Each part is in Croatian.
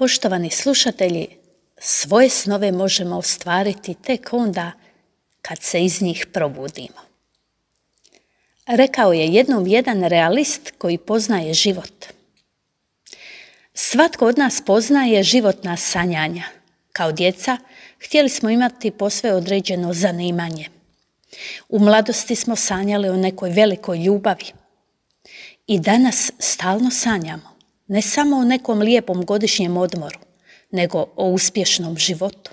Poštovani slušatelji, svoje snove možemo ostvariti tek onda kad se iz njih probudimo. Rekao je jednom jedan realist koji poznaje život. Svatko od nas poznaje životna sanjanja. Kao djeca htjeli smo imati posve određeno zanimanje. U mladosti smo sanjali o nekoj velikoj ljubavi. I danas stalno sanjamo, ne samo o nekom lijepom godišnjem odmoru, nego o uspješnom životu.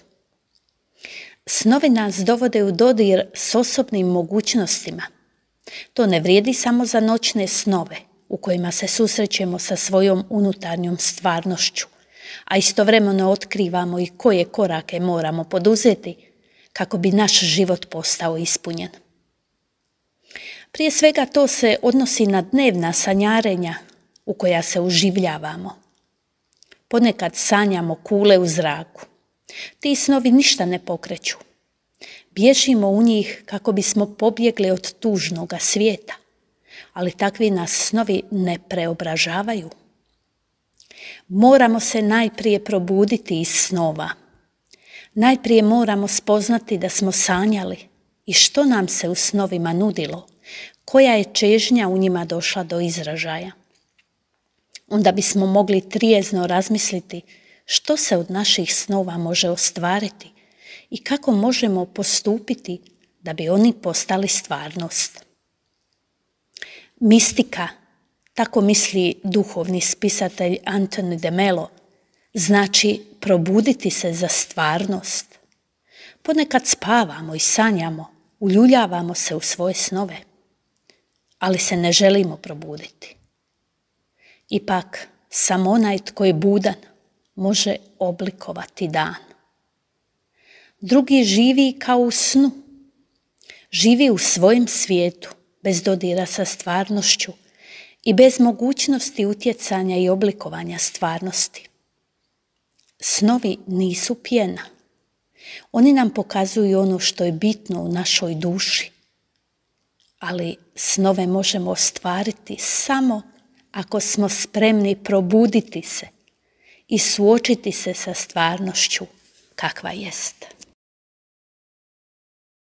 Snovi nas dovode u dodir s osobnim mogućnostima. To ne vrijedi samo za noćne snove u kojima se susrećemo sa svojom unutarnjom stvarnošću, a istovremeno otkrivamo i koje korake moramo poduzeti kako bi naš život postao ispunjen. Prije svega to se odnosi na dnevna sanjarenja u koja se uživljavamo. Ponekad sanjamo kule u zraku. Ti snovi ništa ne pokreću. Bježimo u njih kako bismo pobjegli od tužnoga svijeta, ali takvi nas snovi ne preobražavaju. Moramo se najprije probuditi iz snova. Najprije moramo spoznati da smo sanjali i što nam se u snovima nudilo, koja je čežnja u njima došla do izražaja. Onda bismo mogli trijezno razmisliti što se od naših snova može ostvariti i kako možemo postupiti da bi oni postali stvarnost. Mistika, tako misli duhovni spisatelj Anthony de Mello, znači probuditi se za stvarnost. Ponekad spavamo i sanjamo, uljuljavamo se u svoje snove, ali se ne želimo probuditi. Ipak, samo onaj tko je budan može oblikovati dan. Drugi živi kao u snu. Živi u svojem svijetu, bez dodira sa stvarnošću i bez mogućnosti utjecanja i oblikovanja stvarnosti. Snovi nisu pjena. Oni nam pokazuju ono što je bitno u našoj duši. Ali snove možemo ostvariti samo ako smo spremni probuditi se i suočiti se sa stvarnošću kakva jest.